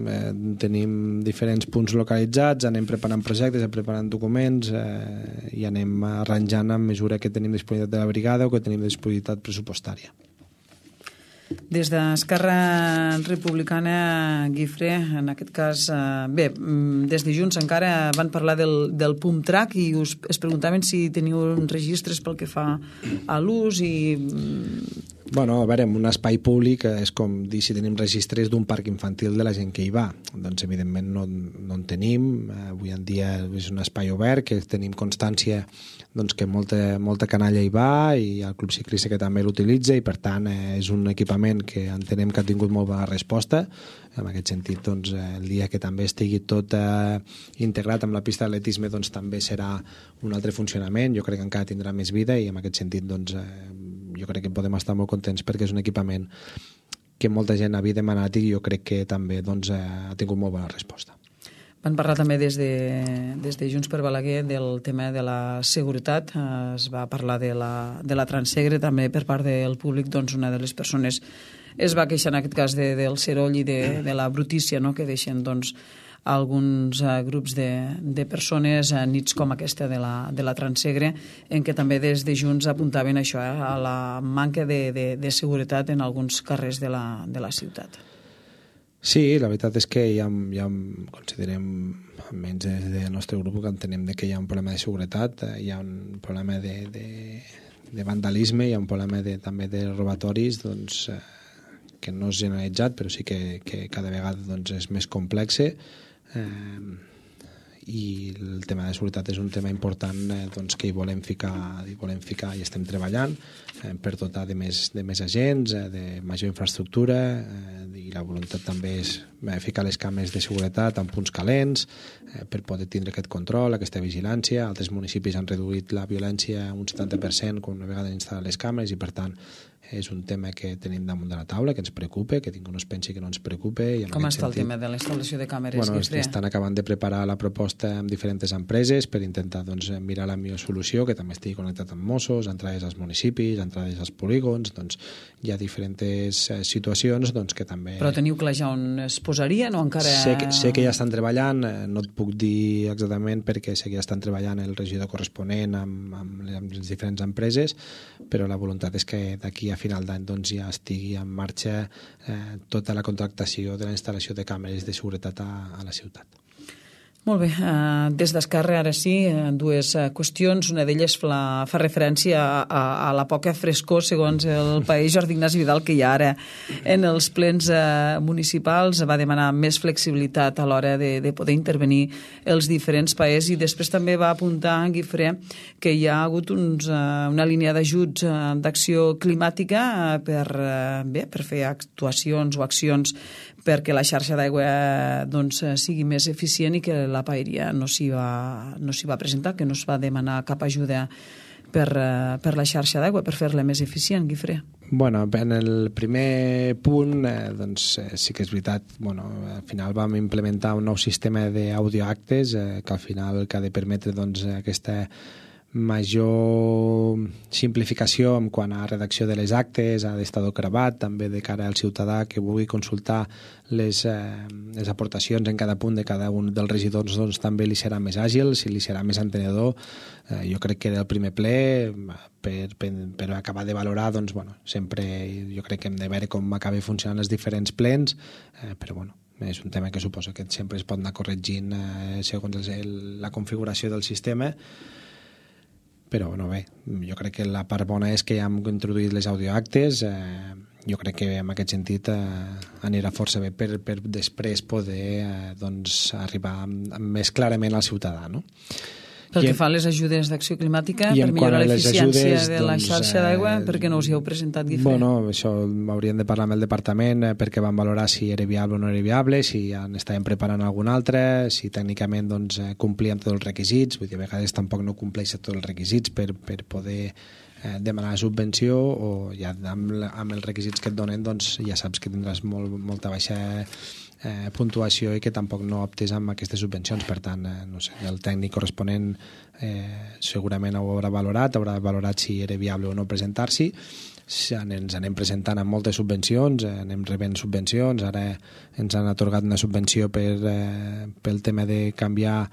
tenim diferents punts localitzats, anem preparant projectes, preparant documents i anem arranjant a mesura que tenim disponibilitat de la brigada o que tenim disponibilitat pressupostària. Des d'Esquerra Republicana, Guifré, en aquest cas, des de Junts encara van parlar del pump track i es preguntaven si teniu registres pel que fa a l'ús i... Bueno, a veure, en un espai públic és com dir si tenim registres d'un parc infantil de la gent que hi va. Doncs, evidentment, no en tenim. Avui en dia és un espai obert, que tenim constància doncs, que molta canalla hi va i el Club Ciclista que també l'utilitza i, per tant, és un equipament que entenem que ha tingut molt bona resposta. En aquest sentit, doncs, el dia que també estigui tot integrat amb la pista d'atletisme doncs, també serà un altre funcionament. Jo crec que encara tindrà més vida i, en aquest sentit, doncs, jo crec que podem estar molt contents perquè és un equipament que molta gent havia demanat i jo crec que també doncs, ha tingut molt bona resposta. Van parlar també des de Junts per Balaguer del tema de la seguretat. Es va parlar de la Transsegre també per part del públic. Doncs una de les persones es va queixar en aquest cas del seroll i de la brutícia, no?, que deixen doncs, alguns grups de persones a nits com aquesta de la Transsegre, en què també des de Junts apuntaven això, a la manca de seguretat en alguns carrers de la ciutat. Sí, la veritat és que ja considerem, almenys des del nostre grup, que entenem que hi ha un problema de seguretat, hi ha un problema de vandalisme, hi ha un problema també de robatoris, doncs, que no és generalitzat, però sí que cada vegada doncs, és més complex. I el tema de seguretat és un tema important doncs, que hi volem ficar i estem treballant per dotar de més agents, de major infraestructura i la voluntat també és ficar les càmeres de seguretat en punts calents per poder tindre aquest control, aquesta vigilància. Altres municipis han reduït la violència un 70% quan una vegada instal·len les càmeres i per tant és un tema que tenim damunt de la taula, que ens preocupa, que ningú no es pensi que no ens preocupa. Com està el tema de la instal·lació de càmeres? Bueno, estan acabant de preparar la proposta amb diferents empreses per intentar doncs, mirar la millor solució, que també estigui connectat amb Mossos, entrades als municipis, entrades als polígons, doncs hi ha diferents situacions doncs, que també... Però teniu clar ja on es posarien o encara... Sé que ja estan treballant, no et puc dir exactament perquè sé que ja estan treballant el regidor corresponent amb les diferents empreses, però la voluntat és que d'aquí a a final d'any doncs, ja estigui en marxa tota la contractació de la instal·lació de càmeres de seguretat a la ciutat. Molt bé, des d'Esquerra ara sí, dues qüestions. Una d'elles fa referència a la poca frescor, segons el país Jordi Ignasi Vidal, que hi ha ara en els plens municipals. Va demanar més flexibilitat a l'hora de poder intervenir els diferents països, i després també va apuntar en Guifré que hi ha hagut una línia d'ajuts d'acció climàtica per fer actuacions o accions perquè la xarxa d'aigua sigui més eficient, i que la paeria no s'hi va presentar, que no es va demanar cap ajuda per la xarxa d'aigua, per fer-la més eficient, Guifré. Bueno, en el primer punt sí que és veritat, al final vam implementar un nou sistema d'audioactes que al final ha de permetre aquesta major simplificació en quant a redacció de les actes, ha d'estar gravat també de cara al ciutadà que vulgui consultar les aportacions en cada punt de cada un dels regidors, també li serà més àgil, si li serà més entenedor. Jo crec que del primer ple, per acabar de valorar, sempre jo crec que hem de veure com acaba funcionant els diferents plens, però és un tema que suposo que sempre es pot anar corregint segons la configuració del sistema. Però bé, jo crec que la part bona és que ja hem introduït les audioactes. Jo crec que en aquest sentit anirà força bé per després poder arribar més clarament al ciutadà, no? Pel que fa a les ajudes d'acció climàtica, per millorar l'eficiència de la xarxa d'aigua, per què no us hi heu presentat, Guifré? Això hauríem de parlar amb el departament perquè van valorar si era viable o no era viable, si ja n'estàvem preparant algun altre, si tècnicament complíem tots els requisits. Vull dir, a vegades tampoc no compleixen tots els requisits per poder demanar subvenció, o ja amb els requisits que et donen ja saps que tindràs molta baixa puntuació i que tampoc no optes amb aquestes subvencions. Per tant, no sé, el tècnic corresponent segurament ho haurà valorat si era viable o no presentar-s'hi. Ens anem presentant amb moltes subvencions, anem rebent subvencions. Ara ens han atorgat una subvenció pel tema de canviar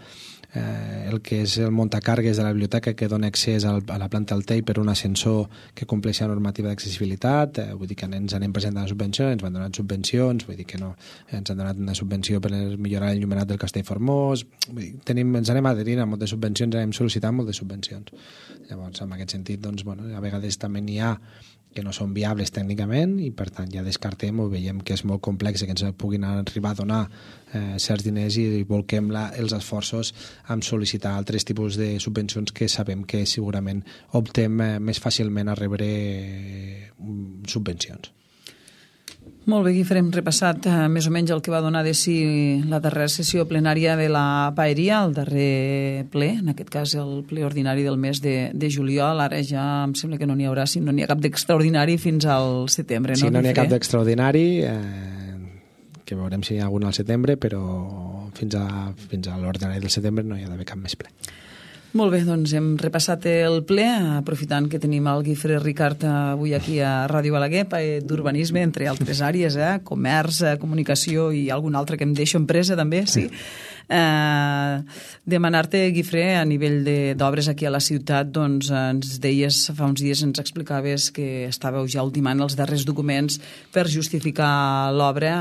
el que és el muntacargues de la biblioteca, que dona accés a la planta del TEI per un ascensor que compleix la normativa d'accessibilitat. Vull dir que ens anem presentant subvencions, ens van donar subvencions, vull dir que no, ens han donat una subvenció per millorar l'enllumenat del Castell Formós. Ens anem adherint a moltes subvencions, anem sol·licitant moltes subvencions. Llavors, en aquest sentit, a vegades també n'hi ha que no són viables tècnicament, i per tant ja descartem o veiem que és molt complex que ens puguin arribar a donar certs diners, i volquem els esforços en sol·licitar altres tipus de subvencions que sabem que segurament optem més fàcilment a rebre subvencions. Molt bé, Guifré, hem repassat més o menys el que va donar de si la darrera sessió plenària de la paeria, el darrer ple, en aquest cas el ple ordinari del mes de juliol. Ara ja em sembla que no n'hi haurà, si no n'hi ha cap d'extraordinari fins al setembre, no? Sí, no n'hi ha cap d'extraordinari, que veurem si hi ha algun al setembre, però fins a l'ordinari del setembre no hi ha d'haver cap més ple. Molt bé, doncs hem repassat el ple, aprofitant que tenim el Guifré Ricart avui aquí a Ràdio Balaguer, d'urbanisme, entre altres àrees, comerç, comunicació i algun altre que em deixo, empresa també, sí. Demanar-te, Guifré, a nivell d'obres aquí a la ciutat, doncs ens deies, fa uns dies ens explicaves que estàveu ja ultimant els darrers documents per justificar l'obra,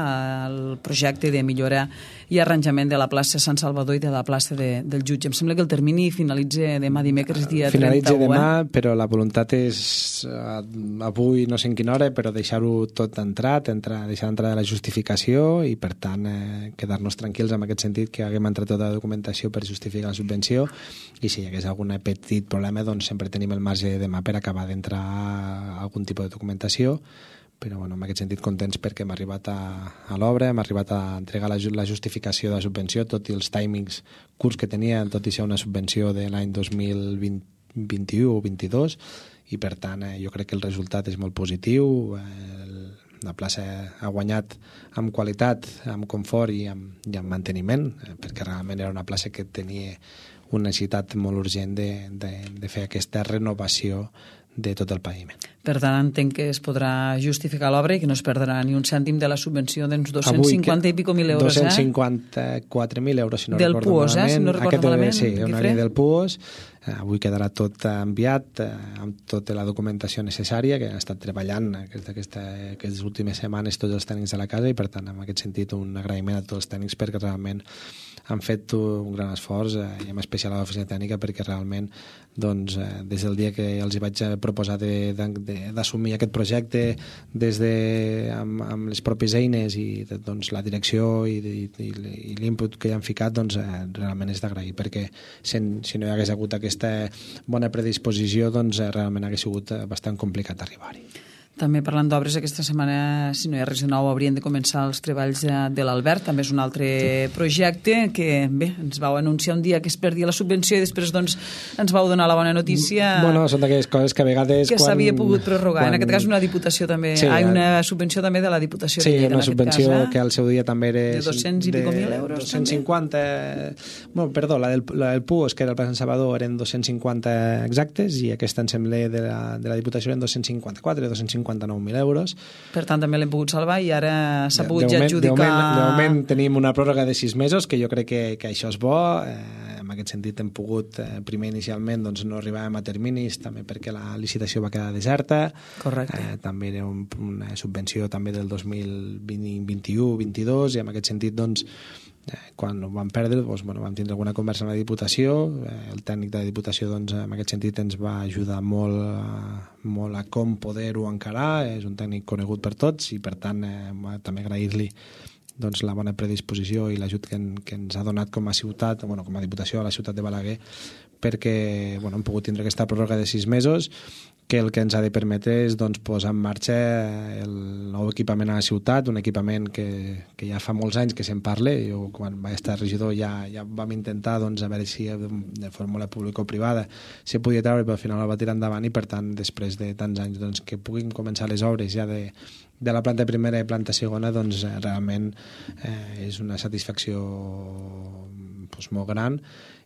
el projecte de millora i arranjament de la plaça Sant Salvador i de la plaça del Jutge. Em sembla que el termini finalitza demà dimecres, dia 31. Finalitza demà, però la voluntat és avui, no sé en quina hora, però deixar-ho tot deixar entrar la justificació, i per tant quedar-nos tranquils en aquest sentit, que haguem entrat tota la documentació per justificar la subvenció, i si hi hagués algun petit problema, doncs sempre tenim el marge de demà per acabar d'entrar algun tipus de documentació. Però en aquest sentit contents perquè hem arribat a l'obra, hem arribat a entregar la justificació de la subvenció, tot i els timings curts que tenia, tot i ser una subvenció de l'any 2021 o 2022, i per tant jo crec que el resultat és molt positiu. La plaça ha guanyat amb qualitat, amb confort i amb manteniment, perquè realment era una plaça que tenia una necessitat molt urgent de fer aquesta renovació de tot el paviment. Per tant, entenc que es podrà justificar l'obra i que no es perdrà ni un cèntim de la subvenció d'uns 250 i pico mil euros. 254.000 euros, si no recordo malament. Del PUOS, si no recordo malament. Sí, una línia del PUOS, Avui quedarà tot enviat amb tota la documentació necessària que han estat treballant aquestes últimes setmanes tots els tècnics de la casa, i per tant en aquest sentit un agraïment a tots els tècnics perquè realment han fet un gran esforç, i en especial a l'oficina tècnica, perquè realment doncs, des del dia que els hi vaig proposar d'assumir aquest projecte amb les pròpies eines i doncs, la direcció i l'input que hi han ficat, doncs, realment és d'agrair, perquè si no hi hagués hagut aquesta bona predisposició, doncs realment hagués sigut bastant complicat arribar-hi. També parlant d'obres, aquesta setmana, si no hi ha res de nou, haurien de començar els treballs de l'Albert. També és un altre projecte que, bé, ens vau anunciar un dia que es perdia la subvenció i després doncs, ens vau donar la bona notícia. Bueno, són d'aquelles coses que a vegades... Que s'havia pogut prorrogar. En aquest cas una diputació també... Sí, una subvenció també de la Diputació de Lleida, una subvenció que al seu dia també era... De 200 i pico mil euros. 250... Bueno, perdó, la del PUOS, que era el Pla Sant Salvador, eren 250 exactes, i aquesta, em sembla, de la Diputació eren 254, 259.000 euros. Per tant, també l'hem pogut salvar i ara s'ha pogut ja adjudicar... De moment tenim una pròrroga de 6 mesos, que jo crec que això és bo. En aquest sentit hem pogut, primer inicialment doncs, no arribàvem a terminis, també perquè la licitació va quedar deserta. Correcte. També era una subvenció també del 2021-22, i en aquest sentit doncs, quan ho vam perdre, doncs, vam tindre alguna conversa amb la Diputació. El tècnic de la Diputació doncs, en aquest sentit ens va ajudar molt a com poder-ho encarar. És un tècnic conegut per tots i per tant també agrair-li doncs, la bona predisposició i l'ajut que ens ha donat com a ciutat, com a Diputació a la ciutat de Balaguer, perquè hem pogut tindre aquesta pròrroga de 6 mesos, que el que ens ha de permetre és doncs, posar en marxa el nou equipament a la ciutat, un equipament que ja fa molts anys que se'n parla. Jo, quan vaig estar regidor, ja vam intentar doncs, a veure si de fórmula pública o privada se podia treure, però al final el va tirar endavant, i per tant, després de tants anys doncs, que puguin començar les obres ja de la planta primera i planta segona, doncs realment és una satisfacció doncs, molt gran,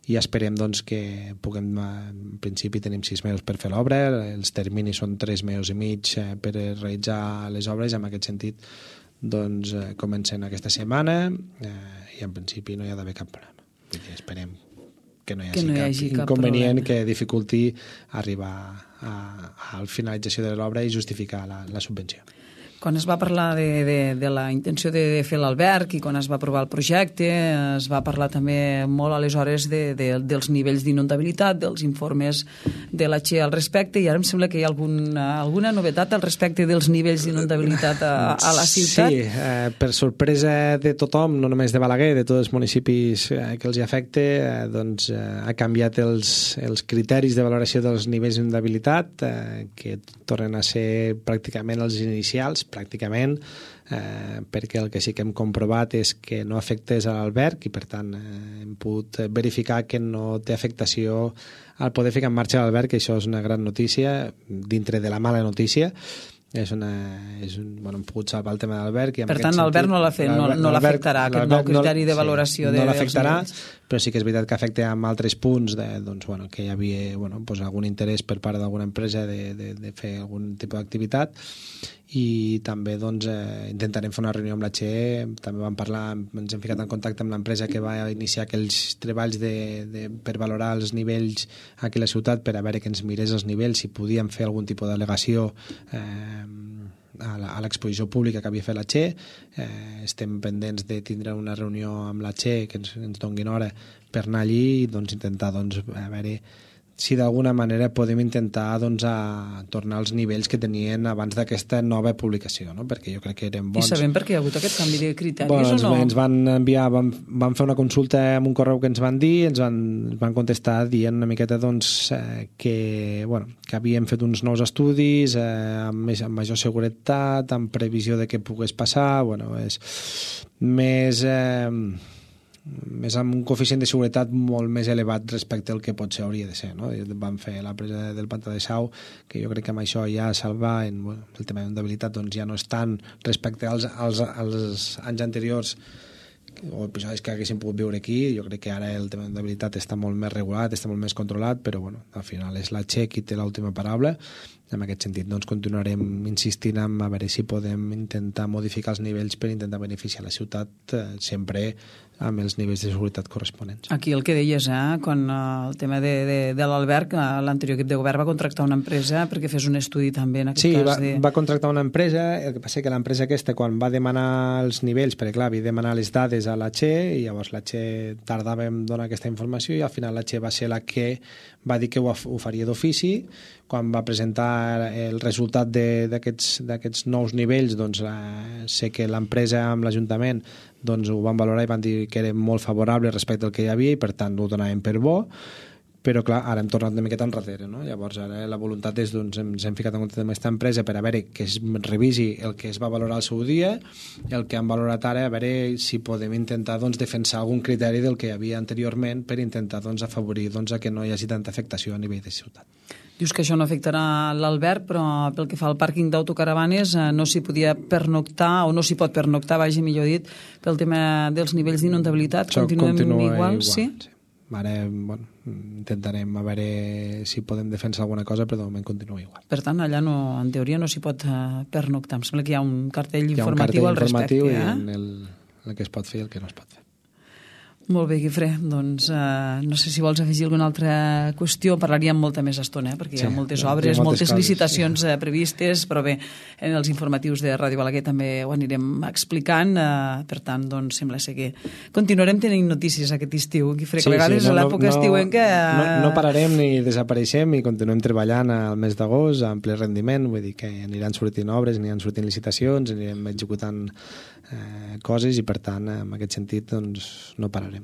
i esperem doncs, que puguem, en principi tenim 6 mesos per fer l'obra, els terminis són 3 mesos i mig per realitzar les obres. En aquest sentit doncs, comencen aquesta setmana i en principi no hi ha d'haver cap problema. Esperem que no hi hagi cap inconvenient que dificulti arribar a la finalització de l'obra i justificar la subvenció. Quan es va parlar de la intenció de fer l'alberg i quan es va aprovar el projecte, es va parlar també molt aleshores dels nivells d'inundabilitat, dels informes de la Che al respecte, i ara em sembla que hi ha alguna novetat al respecte dels nivells d'inundabilitat a la ciutat. Sí, per sorpresa de tothom, no només de Balaguer, de tots els municipis que els hi afecta, doncs ha canviat els criteris de valoració dels nivells d'inundabilitat, que tornen a ser pràcticament els inicials, pràcticament, perquè el que sí que hem comprovat és que no afectés a l'alberg, i per tant hem pogut verificar que no té afectació al poder ficar en marxa l'alberg, que això és una gran notícia dintre de la mala notícia. Hem pogut salvar el tema de l'alberg. Per tant, l'alberg no l'afectarà, aquest nou criteri de valoració. No l'afectarà, però sí que és veritat que afecta en altres punts que hi havia algun interès per part d'alguna empresa de fer algun tipus d'activitat, i també intentarem fer una reunió amb la Che. També vam parlar, ens hem ficat en contacte amb l'empresa que va iniciar aquells treballs per valorar els nivells aquí a la ciutat, per a veure que ens mirés els nivells, si podíem fer algun tipus d'al·legació a l'exposició pública que havia fet la Che. Estem pendents de tindre una reunió amb la Che, que ens donguin hora per anar allí i intentar a veure si d'alguna manera podem intentar a tornar als nivells que tenien abans d'aquesta nova publicació, no? Perquè jo crec que eren bons. I sabem per què hi ha hagut aquest canvi de criteris o no? Ens van enviar, vam fer una consulta amb un correu que ens van dir, ens van contestar dient una miqueta que havien fet uns nous estudis amb major seguretat, amb previsió de què pogués passar, és més amb un coeficient de seguretat molt més elevat respecte al que potser hauria de ser, no? Vam fer la presa del Pantà de Sau, que jo crec que amb això ja salva el tema d'inundabilitat, ja no és tant respecte als anys anteriors o episodis que haguéssim pogut viure aquí. Jo crec que ara el tema d'inundabilitat està molt més regulat, està molt més controlat, però al final és la Che qui té l'última paraula, En aquest sentit, doncs, continuarem insistint en a veure si podem intentar modificar els nivells per intentar beneficiar la ciutat, sempre amb els nivells de seguretat corresponents. Aquí el que deies, quan el tema de l'Albert, l'anterior equip de govern va contractar una empresa perquè fes un estudi també en aquest cas. Sí, va contractar una empresa, el que passa que l'empresa aquesta, quan va demanar els nivells, perquè clar, havia de demanar les dades a la Che, i llavors la Che tardava en donar aquesta informació, i al final la Che va ser la que va dir que ho faria d'ofici. Quan va presentar el resultat d'aquests nous nivells, doncs sé que l'empresa amb l'Ajuntament doncs ho van valorar i van dir que era molt favorable respecte al que hi havia, i per tant ho donaven per bo. Però clar, ara hem tornat una miqueta enrere, no? Llavors ara la voluntat és, doncs, ens hem ficat en compte amb aquesta empresa per a veure que es revisi el que es va valorar al seu dia, el que han valorat ara, a veure si podem intentar, doncs, defensar algun criteri del que hi havia anteriorment per intentar, doncs, afavorir, doncs, a que no hi hagi tanta afectació a nivell de ciutat. Dius que això no afectarà l'Albert, però pel que fa al pàrquing d'autocaravanes no s'hi podia pernoctar, o no s'hi pot pernoctar, vagi millor dit, pel tema dels nivells d'inundabilitat. Continuem igual, sí? Ara, bueno, intentarem a veure si podem defensar alguna cosa, però de moment continua igual. Per tant, allà no, en teoria no s'hi pot pernoctar. Em sembla que hi ha un cartell informatiu al respecte. Hi ha un cartell informatiu i el que es pot fer i el que no es pot fer. Molt bé, Guifré. Doncs no sé si vols afegir alguna altra qüestió. Parlaríem molta més estona, perquè hi ha moltes obres, moltes licitacions previstes, però bé, en els informatius de Ràdio Balaguer també ho anirem explicant. Per tant, doncs, sembla ser que continuarem tenint notícies aquest estiu, Guifré, que a vegades a l'època estiuenca... No pararem ni desapareixem i continuem treballant al mes d'agost en ple rendiment, vull dir que aniran sortint obres, aniran sortint licitacions, anirem executant coses, i per tant, en aquest sentit, doncs, no pararem.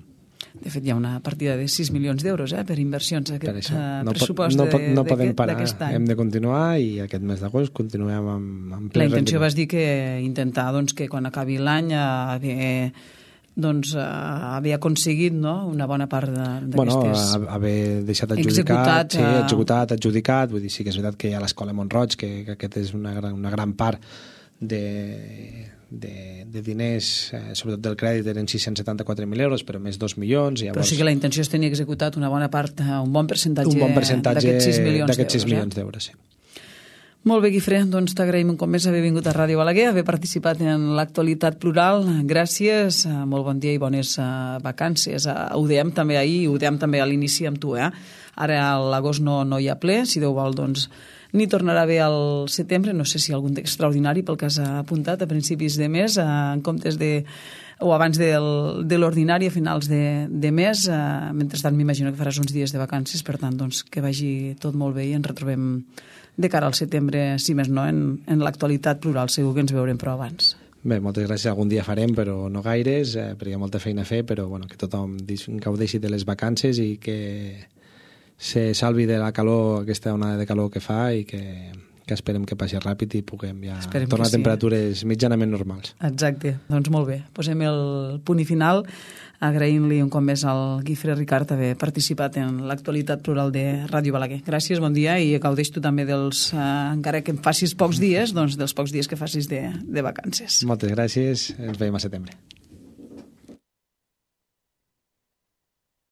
De fet, hi ha una partida de 6 milions d'euros per inversions aquest pressupost no podem parar, d'aquest any. Hem de continuar, i aquest mes d'agost continuem amb ple La intenció rendiment. vas dir que intentar que quan acabi l'any havia aconseguit una bona part d'aquestes... Haver deixat adjudicat, vull dir, sí que és veritat que hi ha l'Escola Montroig, que aquest és una gran part de diners, sobretot del crèdit, eren 674.000 euros, però més 2 milions. Però sí que la intenció és tenir executat una bona part, un bon percentatge d'aquests 6 milions d'euros. Sí. Molt bé, Guifré, doncs t'agraïm un cop més haver vingut a Ràdio Balaguer, haver participat en l'actualitat plural. Gràcies, molt bon dia i bones vacances. Ho dèiem també ahir, ho dèiem també a l'inici amb tu. Ara a l'agost no hi ha ple, si Déu vol, doncs n'hi tornarà bé al setembre, no sé si algun d'extraordinari pel que has apuntat a principis de mes, en comptes o abans de l'ordinari, a finals de mes. Mentrestant m'imagino que faràs uns dies de vacances, per tant, doncs, que vagi tot molt bé i ens retrobem de cara al setembre, si més no, en l'actualitat plural. Segur que ens veurem però abans. Bé, moltes gràcies. Algun dia farem, però no gaires, perquè hi ha molta feina a fer, però bueno, que tothom gaudeixi de les vacances i que se salvi de la calor, aquesta onada de calor que fa, i que esperem que passi ràpid i puguem ja tornar a temperatures mitjanament normals. Exacte, doncs molt bé. Posem el punt i final, agraint-li un cop més al Guifré Ricart haver participat en l'actualitat plural de Ràdio Balaguer. Gràcies, bon dia, i gaudeix tu també encara que em facis pocs dies, doncs dels pocs dies que facis de vacances. Moltes gràcies, ens veiem a setembre.